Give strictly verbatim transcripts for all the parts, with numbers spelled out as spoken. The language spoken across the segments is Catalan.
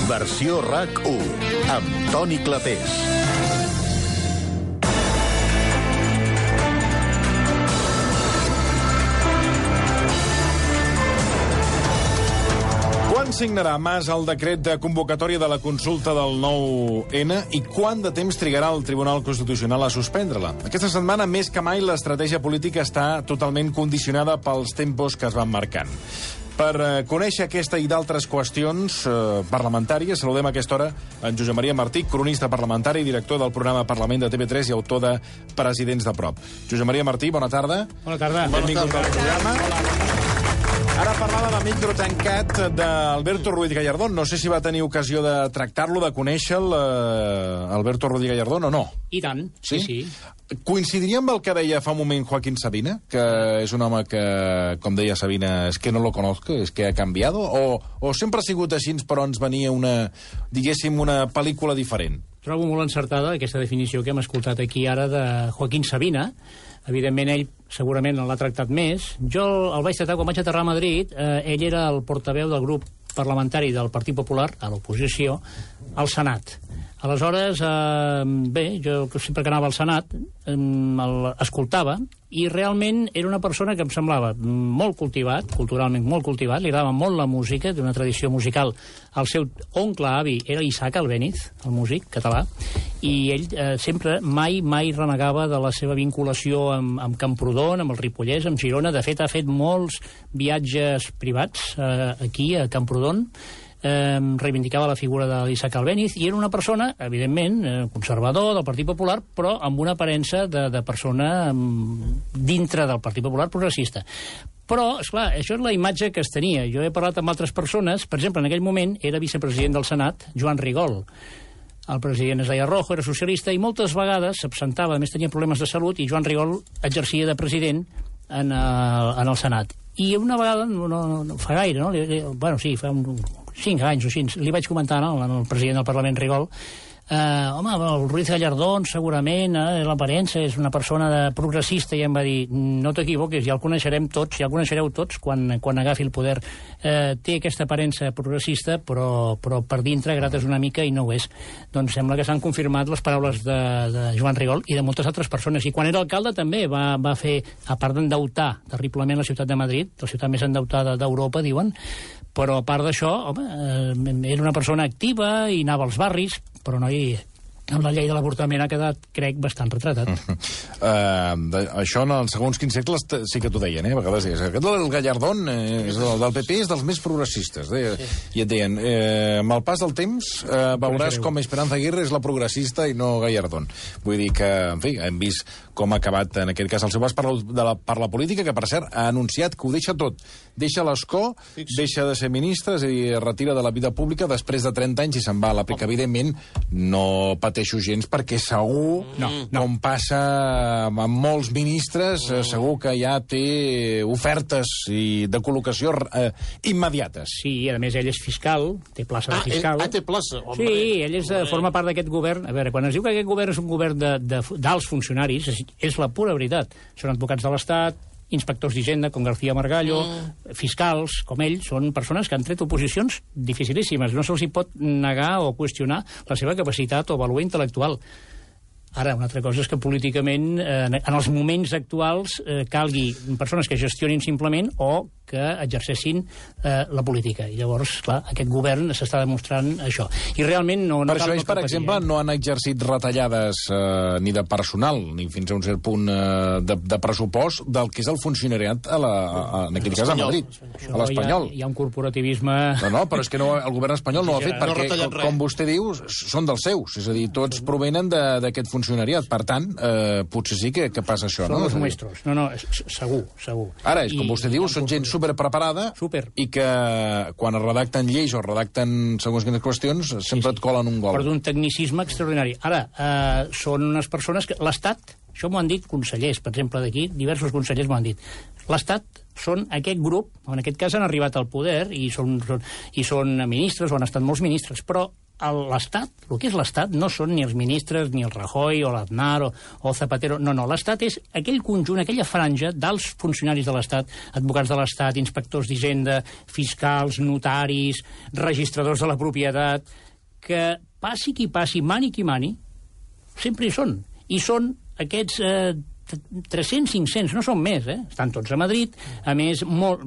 Versió RAC u, amb Toni Clapés. Quan signarà Mas el decret de convocatòria de la consulta del nou ene i quant de temps trigarà el Tribunal Constitucional a suspendre-la? Aquesta setmana, més que mai, l'estratègia política està totalment condicionada pels tempos que es van marcant. Per eh, conèixer aquesta i d'altres qüestions eh, parlamentàries, saludem a aquesta hora en Josep Maria Martí, cronista parlamentari i director del programa Parlament de T V tres i autor de Presidents de Prop. Josep Maria Martí, bona tarda. Bona tarda. Benvingut al programa. Hola. Ara parlava de micro tancat d'Alberto Ruiz Gallardón. No sé si va tenir ocasió de tractar-lo, de conèixer-lo, eh, Alberto Ruiz Gallardón, o no? I tant, sí, sí. sí. Coincidiria amb el que deia fa un moment Joaquín Sabina, que és un home que, com deia Sabina, és que no lo conozco, és que ha canviat, o, o sempre ha sigut així, però ens venia una, diguéssim, una pel·lícula diferent? Trobo molt encertada aquesta definició que hem escoltat aquí ara de Joaquín Sabina. Evidentment, ell segurament l'ha tractat més. Jo el vaig tractar quan vaig aterrar a Madrid. Eh, ell era el portaveu del grup parlamentari del Partit Popular, a l'oposició, al Senat. Aleshores, eh, bé, jo sempre que anava al Senat eh, l'escoltava i realment era una persona que em semblava molt cultivat, culturalment molt cultivat, li agradava molt la música, d'una tradició musical. El seu oncle avi era Isaac Albéniz, el músic català, i ell eh, sempre mai, mai renegava de la seva vinculació amb, amb Camprodon, amb el Ripollès, amb Girona. De fet, ha fet molts viatges privats eh, aquí, a Camprodon. Eh, reivindicava la figura d'Isaac Albéniz i era una persona, evidentment, eh, conservador del Partit Popular, però amb una aparença de, de persona eh, dintre del Partit Popular progressista. Però, esclar, això és la imatge que es tenia. Jo he parlat amb altres persones, per exemple, en aquell moment era vicepresident del Senat, Joan Rigol. El president es deia Rojo, era socialista, i moltes vegades s'absentava, a més tenia problemes de salut, i Joan Rigol exercia de president en el, en el Senat. I una vegada, no, no, no fa gaire, no? Li, li, bueno, sí, fa un... cinc anys o així, li vaig comentar no, al president del Parlament, Rigol, eh, home, el Ruiz Gallardón segurament, eh, l'aparença és una persona de progressista, i em va dir, no t'equivoques, ja el coneixerem tots, ja el coneixereu tots quan, quan agafi el poder. Eh, té aquesta aparença progressista, però, però per dintre grates una mica i no ho és. Doncs sembla que s'han confirmat les paraules de, de Joan Rigol i de moltes altres persones. I quan era alcalde també va, va fer, a part d'endeutar terriblement la ciutat de Madrid, la ciutat més endeutada d'Europa, diuen, però a part d'això, home, eh, era una persona activa i anava als barris, però no hi... amb la llei de l'avortament ha quedat, crec, bastant retratat. Uh, de, això en els segons quins segles sí que t'ho deien, eh? A vegades deies, aquest el Gallardón, eh, és el del P P, és dels més progressistes. Deia, sí. I et deien, eh, amb el pas del temps eh, veuràs com Esperanza Aguirre és la progressista i no Gallardón. Vull dir que, en fi, hem vist com ha acabat, en aquest cas, el seu pas per la, de la, per la política, que, per cert, ha anunciat que ho deixa tot. Deixa l'escó, deixa de ser ministre, és a dir, retira de la vida pública després de trenta anys i se'n va a la P C. Evidentment, no pateixo gens, perquè segur, no, no. com passa amb molts ministres, no. segur que ja té ofertes i de col·locació eh, immediates. Sí, i a més ell és fiscal, té plaça de fiscal. Ah, té plaça? Hombre. Sí, ell és, forma part d'aquest govern. A veure, quan es diu que aquest govern és un govern d'alts funcionaris, és, és la pura veritat. Són advocats de l'Estat, inspectors d'Hisenda, com García Margallo, mm. fiscals, com ell, són persones que han tret oposicions dificilíssimes. No se'ls hi pot negar o qüestionar la seva capacitat o vàlua intel·lectual. Ara, una altra cosa és que políticament, eh, en els moments actuals, eh, calgui persones que gestionin simplement o que exercessin eh, la política. I llavors, clar, aquest govern s'està demostrant això. I realment no... no per això ells, per exemple, eh? no han exercit retallades eh, ni de personal, ni fins a un cert punt eh, de, de pressupost del que és el funcionariat a la, a, en aquest cas a Madrid, això a l'Espanyol. Hi, hi ha un corporativisme... No, no, però és que no, el govern espanyol no ho ha fet, perquè, no com, com vostè diu, són dels seus. És a dir, tots provenen d'aquest funcionariat. Per tant, eh, potser sí que, que passa això, són no? Són els maestros. No, no, segur, segur. Ara, és com vostè diu, són gent superpreparada Super. i que quan es redacten lleis o redacten segons quines qüestions sempre sí, sí. et colen un gol. Però d'un tecnicisme extraordinari. Ara, eh, són unes persones que... L'Estat, això m'ho han dit consellers, per exemple, d'aquí, diversos consellers m'ho han dit. L'Estat són aquest grup, en aquest cas han arribat al poder i són, són, i són ministres o han estat molts ministres, però l'Estat, el que és l'Estat, no són ni els ministres, ni el Rajoy, o l'Aznar, o, o Zapatero, no, no, l'Estat és aquell conjunt, aquella franja d'alts funcionaris de l'Estat, advocats de l'Estat, inspectors d'Hisenda, fiscals, notaris, registradors de la propietat, que passi qui passi, mani qui mani, sempre hi són. I són aquests... Eh, tres-cents, cinc-cents, no són més, eh? Estan tots a Madrid, a més, molt,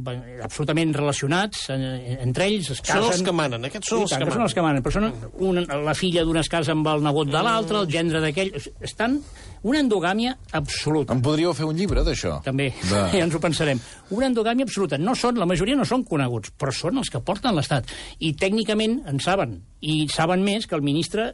absolutament relacionats eh, entre ells. Es casen... Són els que manen, aquests són els que manen. Són els que manen, però són una, la filla d'una es casa amb el nebot de l'altre, el gendre d'aquell... Estan una endogàmia absoluta. En podríeu fer un llibre, d'això? També, de... ja ens ho pensarem. Una endogàmia absoluta. No són, la majoria no són coneguts, però són els que porten l'Estat. I tècnicament en saben, i saben més que el ministre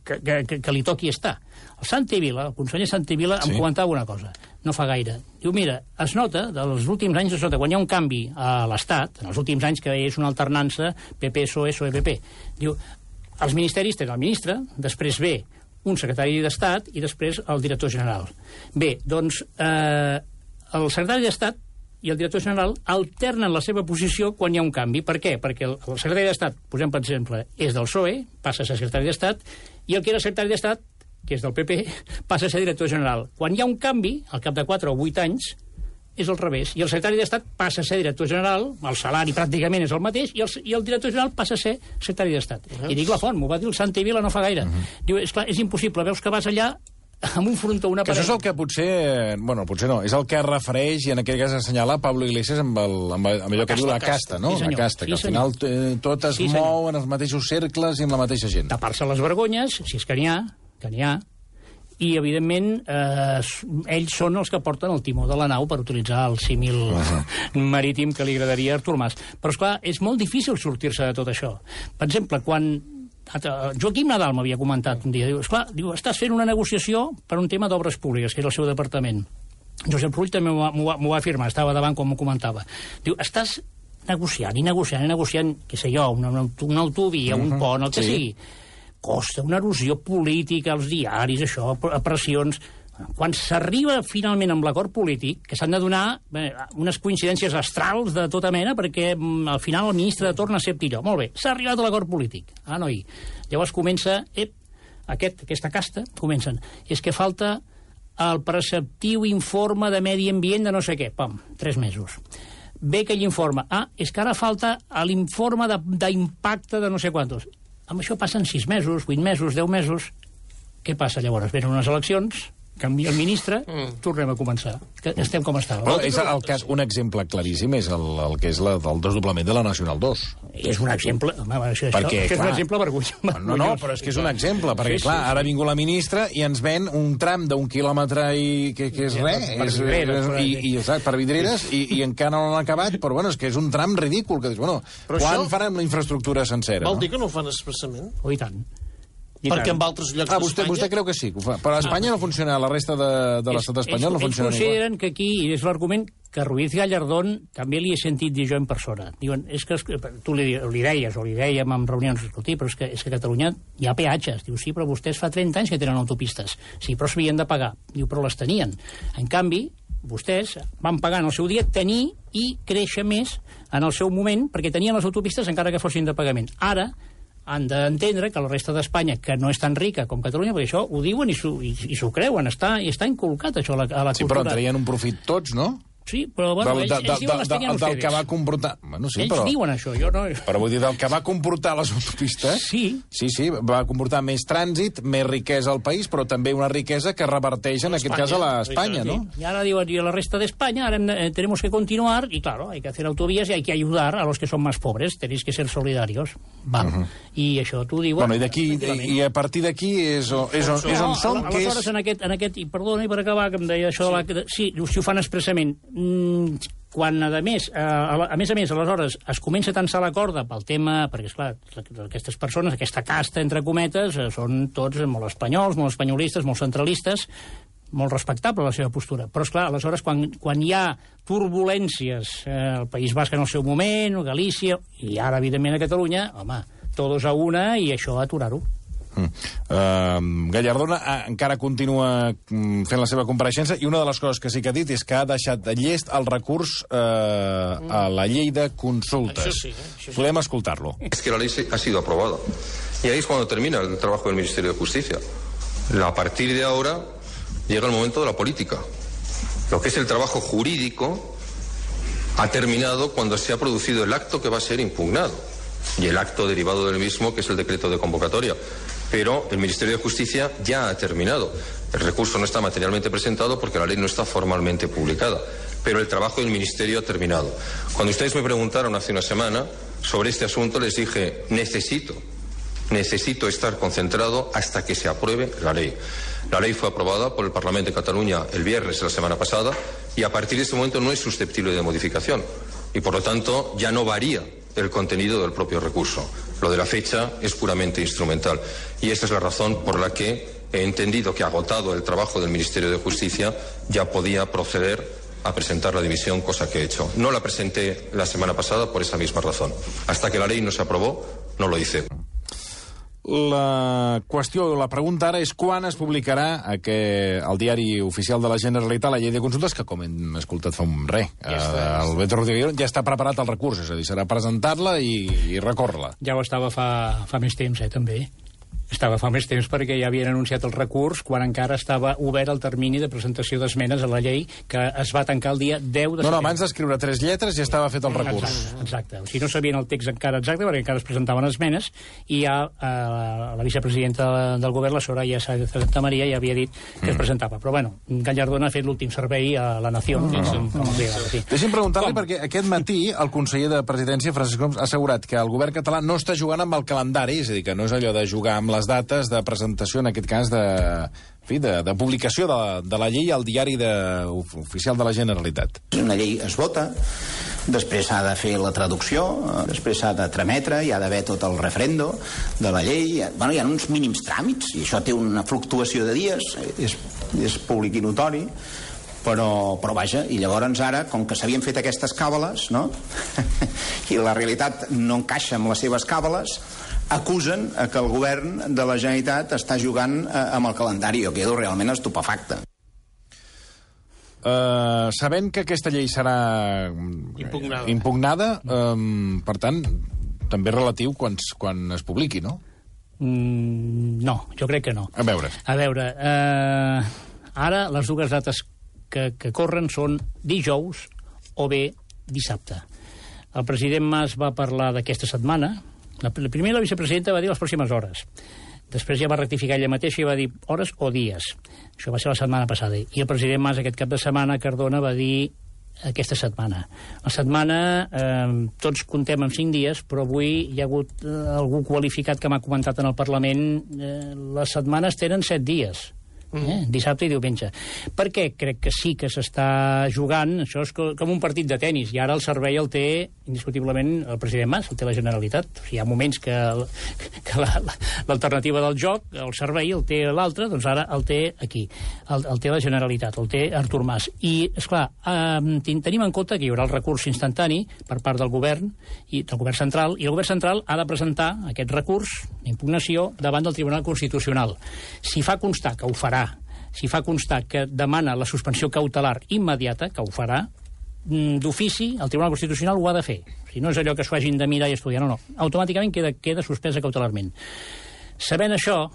que, que, que li toqui estar. El Santi-Vila, el conseller Santi-Vila, sí. em comentava una cosa, no fa gaire. Diu, mira, es nota, dels últims anys es nota, quan hi ha un canvi a l'Estat, en els últims anys que és una alternança, P P, P S O E, P S O E, P P, diu, els ministeris tenen el ministre, després ve un secretari d'Estat i després el director general. Bé, doncs, eh, el secretari d'Estat i el director general alternen la seva posició quan hi ha un canvi. Per què? Perquè el, el secretari d'Estat, posem per exemple, és del P S O E, passa a ser secretari d'Estat, i el que era secretari d'Estat, que és del P P, passa a ser director general. Quan hi ha un canvi, al cap de quatre o vuit anys, és al revés. I el secretari d'Estat passa a ser director general, el salari pràcticament és el mateix, i el, i el director general passa a ser secretari d'Estat. Uh -huh. I dic la font, m'ho va dir el Santi-Vila no fa gaire. Uh -huh. Diu, esclar, és impossible, veus que vas allà amb un frontó, una paret... Que això és el que potser... Bueno, potser no. És el que refereix, i en aquest cas assenyala Pablo Iglesias amb, el, amb, amb allò que diu la casta, no? Sí, la casta, sí, que al final eh, tot es sí, mou en els mateixos cercles i amb la mateixa gent. Tapar-se les vergonyes, si és que n'hi ha, que n'hi ha, i, evidentment, eh, ells són els que porten el timó de la nau, per utilitzar el símil uh-huh. marítim que li agradaria a Artur Mas. Però, esclar, és molt difícil sortir-se de tot això. Per exemple, quan Joaquim Nadal m'havia comentat un dia, diu, esclar, diu, estàs fent una negociació per un tema d'obres públiques, que és el seu departament. Josep Rull també m'ho va, m'ho va afirmar, estava davant quan m'ho comentava. Diu, estàs negociant i negociant i negociant, què sé jo, una, una, una autovia, uh-huh. un pont, el que sí. sigui. Costa una erosió política als diaris, això, a pressions... Quan s'arriba finalment amb l'acord polític, que s'han de donar bé, unes coincidències astrals de tota mena, perquè al final el ministre de torn accepti allò. Molt bé, s'ha arribat a l'acord polític. Ah, noi. Llavors comença, ep, aquest, aquesta casta, comencen. És que falta el preceptiu informe de medi ambient de no sé què. Pam, tres mesos. Ve aquell informe. Ah, és que ara falta l'informe d'impacte de, de no sé quantos. Amb això passen sis mesos, vuit mesos, deu mesos. Què passa llavors? Venen unes eleccions, canvia el ministre, mm. tornem a començar. Que estem com estàvem. Però és el cas, un exemple claríssim és el, el que és la, el desdoblament de la Nacional dos. És un exemple... Home, això, perquè, això, clar, és un exemple vergonyós. No, no, però és que és un exemple, perquè, sí, clar, sí, ara ha vingut la ministra i ens ven un tram d'un quilòmetre i que, que és res, per, és, vidreres, és, i, i, exacte, per vidreres, i, i encara no l'han acabat, però bueno, és que és un tram ridícul, que dius, bueno, però quan això... faran la infraestructura sencera? Vol no? dir que no ho fan expressament? Oh, i tant. I perquè tant. En altres llocs ah, vostè, d'Espanya... vostè creu que sí, que ho fa. Però a Espanya ah, no funciona, a la resta de, de l'estat espanyol no funciona igual. Ells consideren que aquí, i és l'argument que Ruiz Gallardón també li he sentit dir jo en persona. Diuen, és que tu li, li deies, o li dèiem en reunions, escolti, però és que, és que a Catalunya hi ha peatges. Diu, sí, però vostès fa trenta anys que tenen autopistes. Sí, però s'havien de pagar. Diu, però les tenien. En canvi, vostès van pagar en el seu dia tenir i créixer més en el seu moment, perquè tenien les autopistes encara que fossin de pagament. Ara, han d'entendre que la resta d'Espanya, que no és tan rica com Catalunya, perquè això ho diuen i s'ho i, i creuen, està, i està inculcat això a la, a la sí, cultura. Sí, però en traien un profit tots, no? Sí, però bueno, del, ells, ells de, diuen de, les tenien de, del ustedes. que va comportar... Bueno, sí, ells però, diuen això, jo no... Però vull dir, del que va comportar les autopistes... Sí. Sí, sí, va comportar més trànsit, més riquesa al país, però també una riquesa que reverteix, en aquest cas, a l'Espanya, ¿no? Sí. I ara diuen, i a la resta d'Espanya, ara hem de, eh, tenemos que continuar, y claro, hay que hacer autovías y hay que ayudar a los que son más pobres, tenéis que ser solidarios. Val. Uh -huh. I això tu diuen... Bueno, i d'aquí, i a partir d'aquí és, on, és, on, és on som, no, que és... Aleshores, en aquest, en aquest, i perdona, i per acabar, que em deia això sí. de la... Sí, si ho fan expressament... Mm, quan, a més, a, a més a més, aleshores, es comença a tensar la corda pel tema, perquè, esclar, aquestes persones, aquesta casta, entre cometes, són tots molt espanyols, molt espanyolistes, molt centralistes, molt respectable la seva postura. Però, esclar, aleshores, quan, quan hi ha turbulències, eh, el País Basc en el seu moment, Galícia, i ara, evidentment, a Catalunya, home, todos a una, i això aturar-ho. Mm. Uh, Gallardón uh, encara continua um, fent la seva compareixença i una de les coses que sí que ha dit és que ha deixat de llest el recurs uh, mm. a la llei de consultes. Això sí, eh? Això sí. Podem escoltar-lo. Es que la ley ha sido aprobada. Y ahí es cuando termina el trabajo del Ministerio de Justicia. A partir de ahora llega el momento de la política. Lo que es el trabajo jurídico ha terminado cuando se ha producido el acto que va a ser impugnado. Y el acto derivado del mismo, que es el decreto de convocatoria. Pero el Ministerio de Justicia ya ha terminado. El recurso no está materialmente presentado porque la ley no está formalmente publicada. Pero el trabajo del Ministerio ha terminado. Cuando ustedes me preguntaron hace una semana sobre este asunto, les dije, necesito, necesito estar concentrado hasta que se apruebe la ley. La ley fue aprobada por el Parlamento de Cataluña el viernes de la semana pasada y a partir de ese momento no es susceptible de modificación. Y por lo tanto ya no varía el contenido del propio recurso. Lo de la fecha es puramente instrumental. Y esa es la razón por la que he entendido que, agotado el trabajo del Ministerio de Justicia, ya podía proceder a presentar la dimisión, cosa que he hecho. No la presenté la semana pasada por esa misma razón. Hasta que la ley no se aprobó, no lo hice. La qüestió, la pregunta ara és quan es publicarà aquest, el diari oficial de la Generalitat la llei de consultes, que com hem escoltat fa un re, ja eh, el Beto Rodríguez ja està preparat el recurs, és a dir, serà presentar-la i, i recórrer-la. Ja ho estava fa, fa més temps, eh, també. Estava fa més temps perquè ja havien anunciat el recurs quan encara estava obert el termini de presentació d'esmenes a la llei, que es va tancar el dia deu de setembre. No, no, abans d'escriure tres lletres ja estava fet el recurs. Exacte, exacte. O sigui, no sabien el text encara exacte perquè encara es presentaven esmenes i ja eh, la vicepresidenta del govern, la Soraya Santa Maria, ja havia dit que es presentava. Però, bueno, Gallardón ha fet l'últim servei a la nació. No, no, no. Com els agrada, sí. Deixi'm preguntar-li, perquè aquest matí el conseller de Presidència, Francesc Homs, ha assegurat que el govern català no està jugant amb el calendari, és a dir, que no és allò de jugar amb les dates de presentació, en aquest cas, de, en fi, de, de publicació de, de la llei al diari de, oficial de la Generalitat. Una llei es vota, després s'ha de fer la traducció, després s'ha de trametre, hi ha d'haver tot el referendo de la llei. Bueno, hi ha uns mínims tràmits, i això té una fluctuació de dies, és, és públic i notori, però, però vaja, i llavors ara, com que s'havien fet aquestes càbales, no? I la realitat no encaixa amb les seves càbales, acusen que el govern de la Generalitat està jugant amb el calendari. Jo quedo realment estupefacte. Uh, sabent que aquesta llei serà impugnada, impugnada um, per tant, també relatiu quan, quan es publiqui, no? Mm, no, jo crec que no. A veure. A veure, uh, ara les dues dates que, que corren són dijous o bé dissabte. El president Mas va parlar d'aquesta setmana. La, la primera la vicepresidenta va dir les pròximes hores. Després ja va rectificar ella mateixa i va dir hores o dies. Això va ser la setmana passada. I el president Mas aquest cap de setmana, Cardona, va dir aquesta setmana. La setmana, eh, tots contem amb cinc dies, però avui hi ha hagut eh, algú qualificat que m'ha comentat en el Parlament, eh, les setmanes tenen set dies. Eh? Dissabte i diumenge. Per què crec que sí que s'està jugant? Això és com un partit de tenis, i ara el servei el té indiscutiblement el president Mas, el té la Generalitat. O sigui, hi ha moments que, que l'alternativa la, del joc, el servei el té l'altre, doncs ara el té aquí, el, el té la Generalitat, el té Artur Mas. I, esclar, eh, tenim en compte que hi haurà el recurs instantani per part del govern, i del govern central, i el govern central ha de presentar aquest recurs d'impugnació davant del Tribunal Constitucional. Si fa constar que ho farà, si fa constar que demana la suspensió cautelar immediata, que ho farà, d'ofici, el Tribunal Constitucional ho ha de fer. Si no és allò que s'ho hagin de mirar i estudiar, no, no. Automàticament queda, queda suspesa cautelarment. Sabent això,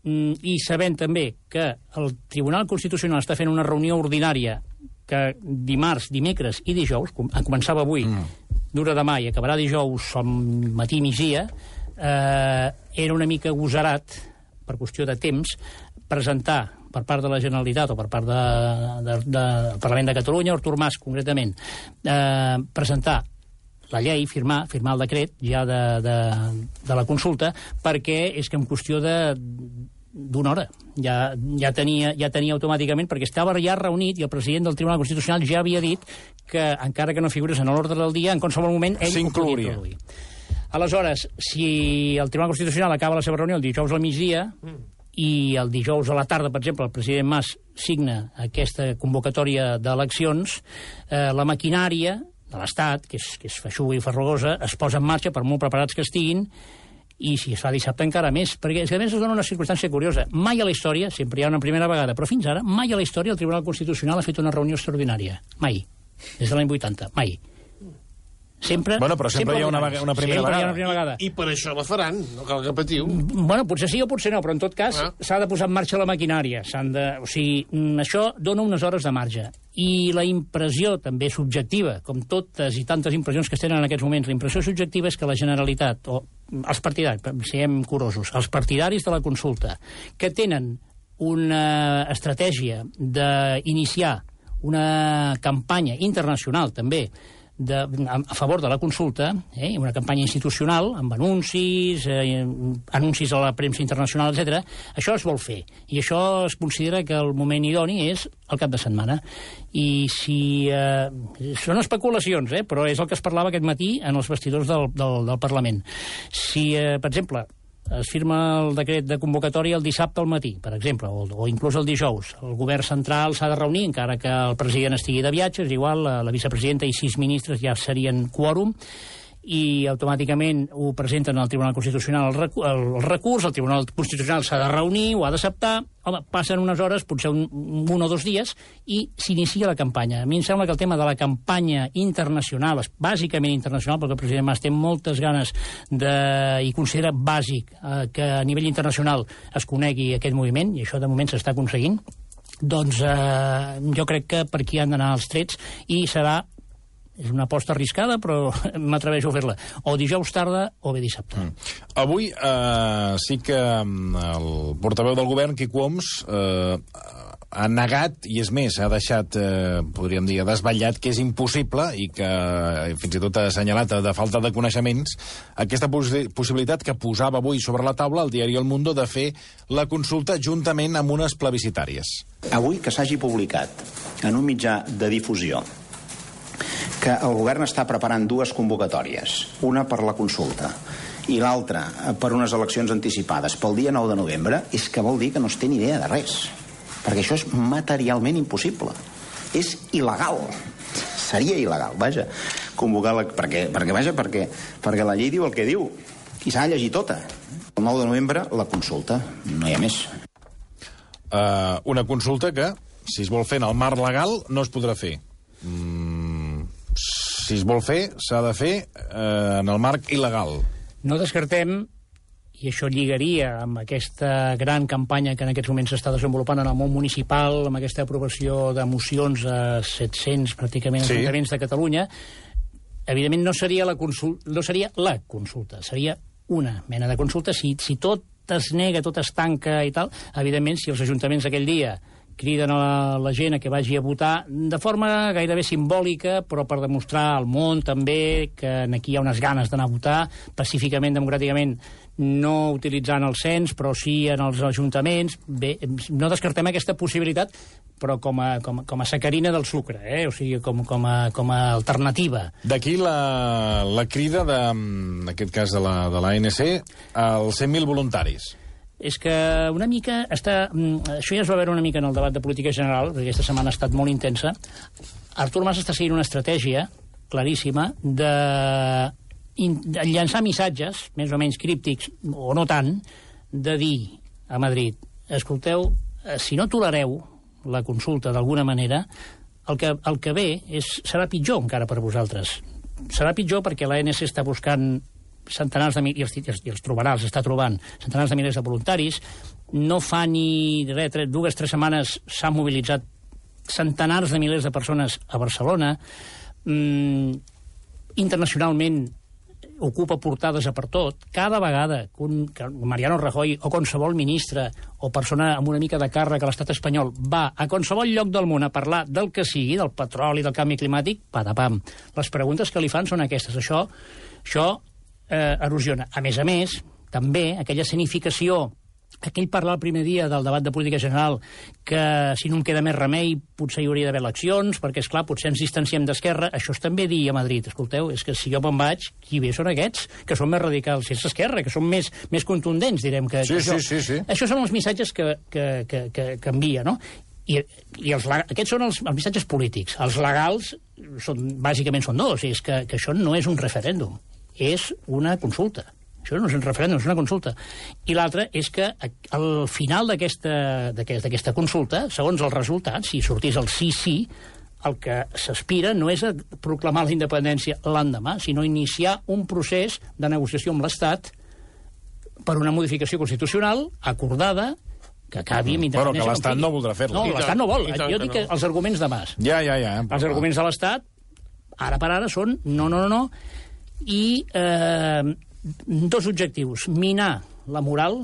i sabent també que el Tribunal Constitucional està fent una reunió ordinària que dimarts, dimecres i dijous, començava avui, mm. dura demà i acabarà dijous al matí migdia, eh, era una mica agosarat, per qüestió de temps, presentar per part de la Generalitat o per part del de, de, de Parlament de Catalunya, Artur Mas concretament, eh, presentar la llei, firmar, firmar el decret ja de, de, de la consulta, perquè és que en qüestió de d'una hora. Ja, ja, tenia, ja tenia automàticament, perquè estava ja reunit i el president del Tribunal Constitucional ja havia dit que, encara que no figures en l'ordre del dia, en qualsevol moment ell ho podia introduir. Aleshores, si el Tribunal Constitucional acaba la seva reunió el dijous al migdia, mm. i el dijous a la tarda, per exemple, el president Mas signa aquesta convocatòria d'eleccions, eh, la maquinària de l'Estat, que és, que és feixuga i farragosa, es posa en marxa, per molt preparats que estiguin, i si es fa dissabte encara més, perquè a més es dona una circumstància curiosa. Mai a la història, sempre hi ha una primera vegada, però fins ara, mai a la història el Tribunal Constitucional ha fet una reunió extraordinària. Mai. Des de l'any vuitanta. Mai. Sempre, bueno, però sempre, sempre hi ha una, una primera sempre vegada. Hi ha una primera vegada. I, I per això la faran, no cal que patiu. Bueno, potser sí o potser no, però en tot cas ah. s'ha de posar en marxa la maquinària. De, o sigui, això dona unes hores de marge. I la impressió també subjectiva, com totes i tantes impressions que es tenen en aquests moments, la impressió subjectiva és que la Generalitat, o els partidaris, siguem curosos, els partidaris de la consulta, que tenen una estratègia d'iniciar una campanya internacional també de, a favor de la consulta, eh, una campanya institucional amb anuncis, eh, anuncis a la premsa internacional, etcètera. Això es vol fer, i això es considera que el moment idoni és el cap de setmana. I si... Eh, són especulacions, eh, però és el que es parlava aquest matí en els vestidors del, del, del Parlament. Si, eh, per exemple, es firma el decret de convocatòria el dissabte al matí, per exemple, o, o inclús el dijous. El govern central s'ha de reunir, encara que el president estigui de viatge, és igual, la, la vicepresidenta i sis ministres ja serien quòrum, i automàticament ho presenten al Tribunal Constitucional el, recu el, el recurs, el Tribunal Constitucional s'ha de reunir, ho ha d'acceptar, home, passen unes hores, potser un, un o dos dies, i s'inicia la campanya. A mi em sembla que el tema de la campanya internacional, bàsicament internacional, perquè el president Mas té moltes ganes de, i considera bàsic eh, que a nivell internacional es conegui aquest moviment, i això de moment s'està aconseguint, doncs eh, jo crec que per aquí han d'anar els trets, i serà és una aposta arriscada, però m'atreveixo a fer-la. O dijous tarda o bé dissabte. Mm. Avui eh, sí que el portaveu del govern, Quico Homs, eh, ha negat, i és més, ha deixat, eh, podríem dir, desvetllat que és impossible, i que fins i tot ha assenyalat de falta de coneixements, aquesta poss possibilitat que posava avui sobre la taula el diari El Mundo de fer la consulta juntament amb unes plebiscitàries. Avui que s'hagi publicat en un mitjà de difusió que el govern està preparant dues convocatòries, una per la consulta i l'altra per unes eleccions anticipades pel dia nou de novembre, és que vol dir que no es té ni idea de res, perquè això és materialment impossible, és il·legal, seria il·legal, vaja, convocar la... perquè, perquè, vaja, perquè, perquè la llei diu el que diu i s'ha de llegir tota. El nou de novembre la consulta, no hi ha més. Uh, una consulta que, si es vol fer en el marc legal, no es podrà fer. Mm, si es vol fer, s'ha de fer eh, en el marc il·legal. No descartem, i això lligaria amb aquesta gran campanya que en aquests moments s'està desenvolupant en el món municipal, amb aquesta aprovació de mocions a set-cents, pràcticament, sí, ajuntaments de Catalunya, evidentment no seria la consulta, no seria la consulta, seria una mena de consulta. Si, si tot es nega, tot es tanca i tal, evidentment, si els ajuntaments aquell dia criden a la, la gent a que vagi a votar de forma gairebé simbòlica, però per demostrar al món també que aquí hi ha unes ganes d'anar a votar pacíficament, democràticament, no utilitzant el cens, però sí en els ajuntaments. Bé, no descartem aquesta possibilitat, però com a, com, com a sacarina del sucre, eh? O sigui, com, com, a, com a alternativa. D'aquí la, la crida, de, en aquest cas de la, de l'A N C, als cent mil voluntaris. És que una mica està... Això ja es va veure una mica en el debat de política general, perquè aquesta setmana ha estat molt intensa. Artur Mas està seguint una estratègia claríssima de, de llançar missatges, més o menys críptics, o no tant, de dir a Madrid, escolteu, si no tolereu la consulta d'alguna manera, el que, el que ve és, serà pitjor encara per vosaltres. Serà pitjor perquè l'A N C està buscant centenars de milers, i els, i els trobarà, els està trobant, centenars de milers de voluntaris. No fa ni res, tres, dues, tres setmanes s'han mobilitzat centenars de milers de persones a Barcelona. Mm, internacionalment ocupa portades a per tot. Cada vegada que, un, que Mariano Rajoy o qualsevol ministre o persona amb una mica de càrrec a l'estat espanyol va a qualsevol lloc del món a parlar del que sigui, del petroli, del canvi climàtic, patapam. Les preguntes que li fan són aquestes. Això, això Eh, erosiona. A més a més, també aquella escenificació, aquell parlar el primer dia del debat de política general que si no em queda més remei potser hi hauria d'haver eleccions, perquè, esclar, potser ens distanciem d'Esquerra. Això és també dir a Madrid, escolteu, és que si jo me'n vaig, qui ve són aquests, que són més radicals, si és Esquerra, que són més, més contundents, direm que... Sí, que això, sí, sí, sí. Això són els missatges que, que, que, que, que envia, no? I, i els, aquests són els, els missatges polítics. Els legals, són, bàsicament són dos, i és que, que això no és un referèndum, és una consulta. Això no és un referèndum, és una consulta. I l'altre és que al final d'aquesta d'aquesta consulta, segons els resultats, si sortís el sí-sí, el que s'aspira no és a proclamar la independència l'endemà, sinó iniciar un procés de negociació amb l'Estat per una modificació constitucional acordada que acabi amb independència. Però que l'Estat no voldrà fer-la. No, l'Estat no vol. Jo dic que els arguments de Mas. Ja, ja, ja. Els arguments de l'Estat, ara per ara, són no, no, no, no, i eh, dos objectius. Minar la moral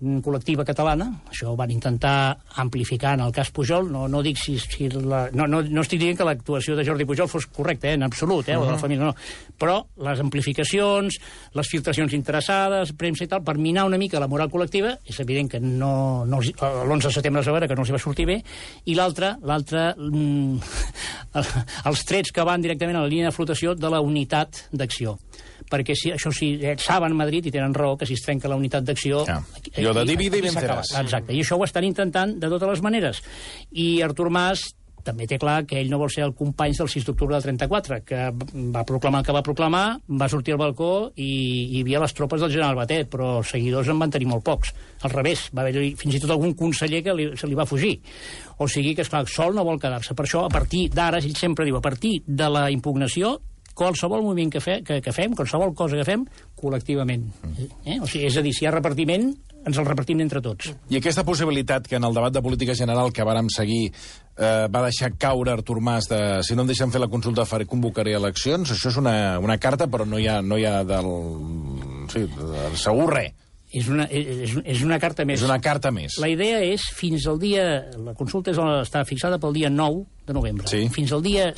col·lectiva catalana, això ho van intentar amplificar en el cas Pujol, no, no dic si... si la, no, no, no estic dient que l'actuació de Jordi Pujol fos correcta, eh, en absolut, eh, uh -huh. o de la família, no, però les amplificacions, les filtracions interessades, premsa i tal, per minar una mica la moral col·lectiva, és evident que no, no l'onze de setembre es va veure que no els hi va sortir bé, i l'altre, l'altre mm, els trets que van directament a la línia de flotació de la unitat d'acció. Perquè si, això sí, eh, saben Madrid, i tenen raó, que si es trenca la unitat d'acció... Ja. Jo de divide i venceràs. Exacte, i això ho estan intentant de totes les maneres. I Artur Mas també té clar que ell no vol ser el company del sis d'octubre del trenta-quatre, que va proclamar el que va proclamar, va sortir al balcó i hi havia les tropes del general Batet, però seguidors en van tenir molt pocs. Al revés, va haver fins i tot algun conseller que li, se li va fugir. O sigui que, esclar, sol no vol quedar-se. Per això, a partir d'ara, ell sempre diu, a partir de la impugnació, qualsevol moviment que, fe, que, que fem, qualsevol cosa que fem, col·lectivament. Eh? O sigui, és a dir, si hi ha repartiment, ens el repartim entre tots. I aquesta possibilitat que en el debat de política general que vàrem seguir eh, va deixar caure Artur Mas de si no em deixen fer la consulta faré, convocaré eleccions, això és una, una carta, però no hi ha, no hi ha del... Sí, del segur res. És una, és, és una carta més. És una carta més. La idea és, fins al dia... La consulta és, està fixada pel dia nou de novembre. Sí. Fins al dia,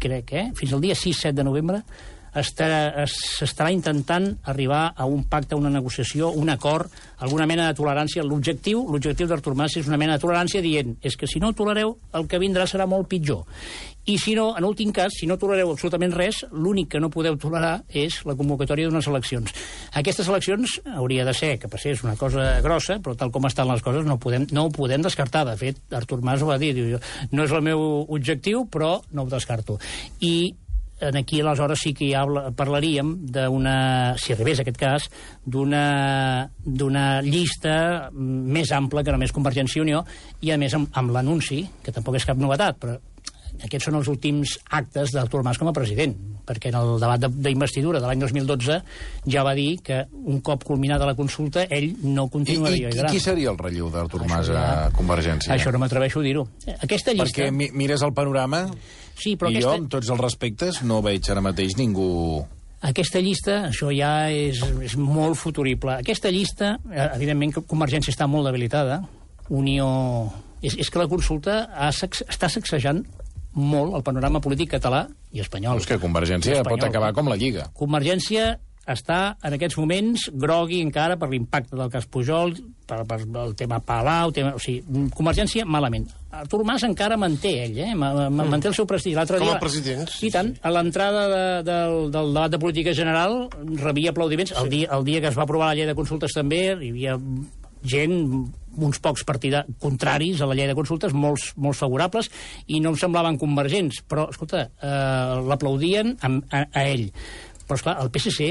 crec, eh? Fins al dia sis set de novembre s'estarà intentant arribar a un pacte, una negociació, un acord, alguna mena de tolerància. L'objectiu l'objectiu d'Artur Mas és una mena de tolerància dient és que si no tolereu, el que vindrà serà molt pitjor. I si no, en últim cas, si no tolereu absolutament res, l'únic que no podeu tolerar és la convocatòria d'unes eleccions. Aquestes eleccions hauria de ser que passés una cosa grossa, però tal com estan les coses no, podem, no ho podem descartar. De fet, Artur Mas ho va dir, diu, no és el meu objectiu, però no ho descarto. I aquí aleshores sí que ja parlaríem d'una, si arribés aquest cas, d'una d'una llista més ampla que només Convergència i Unió, i a més amb, amb l'anunci, que tampoc és cap novetat, però aquests són els últims actes d'Artur Mas com a president, perquè en el debat d'investidura de l'any dos mil dotze ja va dir que un cop culminada la consulta ell no continuaria. I, i, i qui seria el relleu d'Artur Mas a Convergència? Això no m'atreveixo a dir-ho. Aquesta llista... Perquè mi, mires el panorama sí, però i aquesta... jo, amb tots els respectes, no veig ara mateix ningú... Aquesta llista, això ja és, és molt futurible. Aquesta llista, evidentment, Convergència està molt debilitada. Unió... És, és que la consulta ha, està sacsejant molt el panorama polític català i espanyol. És que Convergència espanyol. Pot acabar com la Lliga. Convergència està en aquests moments grogui encara per l'impacte del cas Pujol, per, per el tema Palau, tema, o sigui, Convergència malament. Artur Mas encara manté ell, eh? manté el seu prestigi. Com a president. I tant, a l'entrada de, del, del debat de política general rebia aplaudiments. El dia, el dia que es va aprovar la llei de consultes també hi havia gent, uns pocs partida contraris a la llei de consultes, molts, molts favorables, i no em semblaven convergents, però, escolta, eh, l'aplaudien a, a, a ell. Però, esclar, el P S C,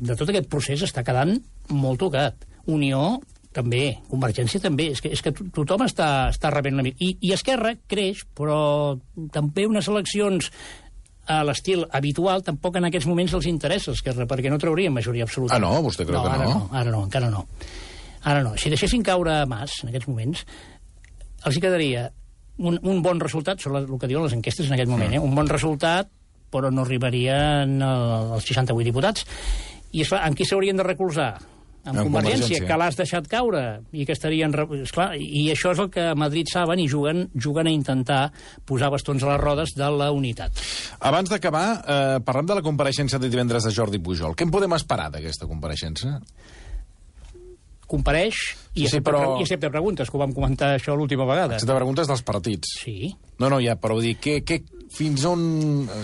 de tot aquest procés, està quedant molt tocat. Unió, també. Convergència, també. És que, és que tothom està, està rebent una mica. I, I Esquerra creix, però també unes eleccions a l'estil habitual tampoc en aquests moments els interessa Esquerra, perquè no traurien majoria absoluta. Ah, no? Vostè creu no, que ara no? no? Ara no, encara no. Ara no. Si deixessin caure Mas, en aquests moments, els hi quedaria un, un bon resultat, sobre el que diuen les enquestes en aquest moment, eh? Un bon resultat, però no arribarien als seixanta-vuit diputats. I, esclar, amb qui s'haurien de recolzar? Amb, amb Convergència, Convergència, que l'has deixat caure i que estarien... Esclar, i això és el que a Madrid saben i juguen, juguen a intentar posar bastons a les rodes de la unitat. Abans d'acabar, eh, parlem de la compareixença de divendres de Jordi Pujol. Què en podem esperar d'aquesta compareixença? Compareix i, sí, sí, però... i accepta preguntes, que ho vam comentar això l'última vegada. Accepta preguntes dels partits. Sí. No, no, ja, però dir, què, què, fins on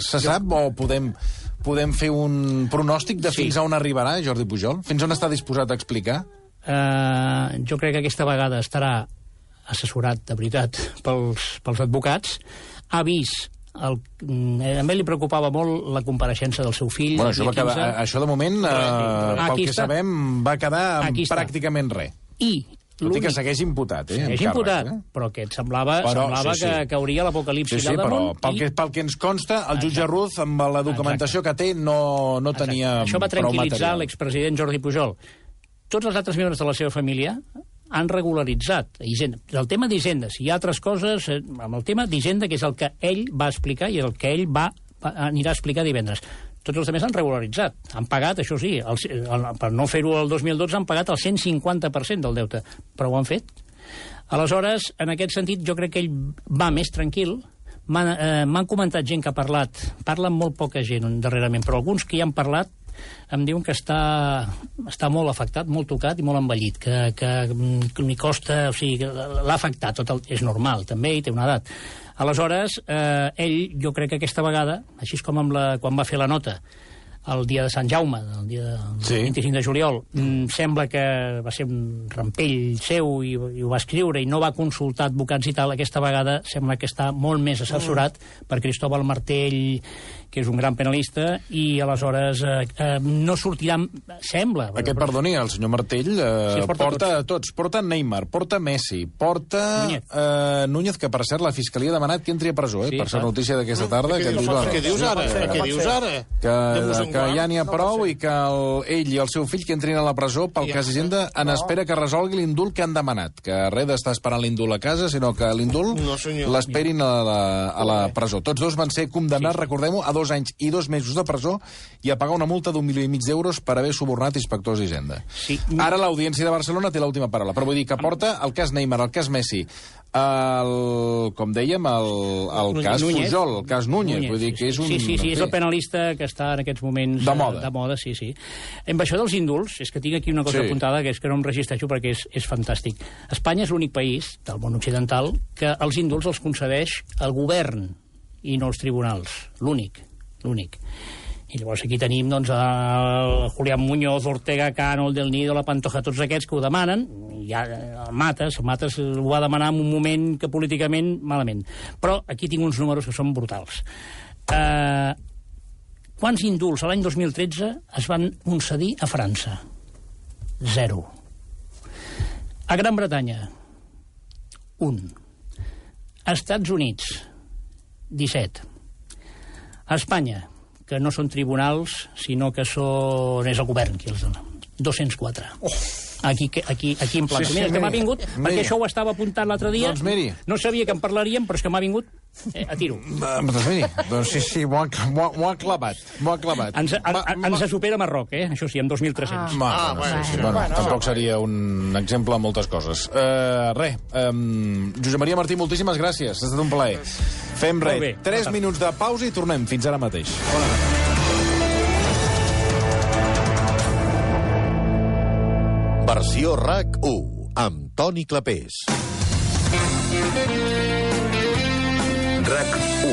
se sap o podem, podem fer un pronòstic de fins sí. a on arribarà Jordi Pujol? Fins on està disposat a explicar? Uh, jo crec que aquesta vegada estarà assessorat, de veritat, pels, pels advocats. Ha vist el, a ell li preocupava molt la compareixença del seu fill. Bueno, això, va quedar, això de moment, eh, pel que està. sabem, va quedar amb pràcticament res. I tot i que segueix imputat, eh? Segueix imputat, eh? però que et semblava, però, semblava sí, sí. Que, que hauria l'apocalipsi sí, sí, al damunt. Però pel, i... que, pel que ens consta, el jutge Exacte. Ruz, amb la documentació Exacte. que té, no, no tenia prou material. Això va tranquil·litzar l'expresident Jordi Pujol. Tots els altres membres de la seva família han regularitzat Hisenda. El tema d'Hisenda, si hi ha altres coses, amb el tema d'Hisenda, que és el que ell va explicar i el que ell va, va anirà a explicar divendres. Tots els altres han regularitzat. Han pagat, això sí, el, el, per no fer-ho el dos mil dotze, han pagat el cent cinquanta per cent del deute. Però ho han fet. Aleshores, en aquest sentit, jo crec que ell va més tranquil. M'han eh, comentat gent que ha parlat. Parla amb molt poca gent darrerament, però alguns que hi han parlat em diuen que està, està molt afectat, molt tocat i molt envellit, que, que, que li costa, o sigui, l'ha afectat, tot el, és normal, també, i té una edat. Aleshores, eh, ell, jo crec que aquesta vegada, així com amb la, quan va fer la nota, el dia de Sant Jaume, el dia del sí. vint-i-cinc de juliol, mm, sembla que va ser un rampell seu i, i ho va escriure i no va consultar advocats i tal, aquesta vegada sembla que està molt més assessorat mm. per Cristóbal Martell, que és un gran penalista, i aleshores eh, eh, no sortirà, sembla... Aquest, però... perdoni, el senyor Martell eh, sí, porta, porta tots. tots. Porta Neymar, porta Messi, porta Núñez. Eh, Núñez, que per cert la Fiscalia ha demanat que entri a presó, eh, sí, per ser notícia d'aquesta tarda. Què dius ara? Què dius ara? Què dius ara? Que, que ja n'hi ha prou i que el, ell i el seu fill que entrin a la presó pel cas Hisenda en espera que resolgui l'indult que han demanat. Que res d'estar esperant l'indult a casa, sinó que l'indult no, l'esperin a la, a la presó. Tots dos van ser condemnats, sí. recordem-ho, a dos anys i dos mesos de presó i a pagar una multa d'un milió i mig d'euros per haver subornat inspectors d'Hisenda. Sí. Ara l'Audiència de Barcelona té l'última paraula, però vull dir que porta el cas Neymar, el cas Messi, el, com dèiem, el, el cas Núñez. Pujol, el cas Núñez, Núñez, vull dir que és un... Sí, sí, sí, és el penalista que està en aquests moments... De moda. De moda, sí, sí. Amb això dels indults, és que tinc aquí una cosa sí. apuntada que és que no em resisteixo perquè és, és fantàstic. Espanya és l'únic país del món occidental que els indults els concedeix el govern i no els tribunals. L'únic, l'únic. I llavors aquí tenim doncs, el Julián Muñoz, Ortega Cano, el Del Nido, la Pantoja, tots aquests que ho demanen, i ja el Mates, el Mates ho va demanar en un moment que políticament malament. Però aquí tinc uns números que són brutals. Eh, quants indults l'any dos mil tretze es van concedir a França? Zero. A Gran Bretanya, un. A Estats Units, disset. A Espanya, que no són tribunals, sinó que són... és el govern qui els dona. dos-cents quatre. Oh. Aquí, aquí, aquí en plan. Sí, sí, mira, que m'ha vingut, miri. Perquè això ho estava apuntant l'altre dia. Doncs miri. No sabia que en parlaríem, però és que m'ha vingut eh, a tiro. Doncs miri, doncs sí, sí, m'ho ha, ha clavat, m'ho ha clavat. Ens, a, a, ens supera Marroc, eh? Això sí, amb dos mil tres-cents. Ah, ah, bueno, sí, sí. Bueno, bueno, tampoc seria un exemple a moltes coses. Uh, res, um, Josep Maria Martí, moltíssimes gràcies, ha estat un plaer. Fem res, tres minuts de pausa i tornem fins ara mateix. Bona Versió RAC u, amb Toni Clapés. RAC u.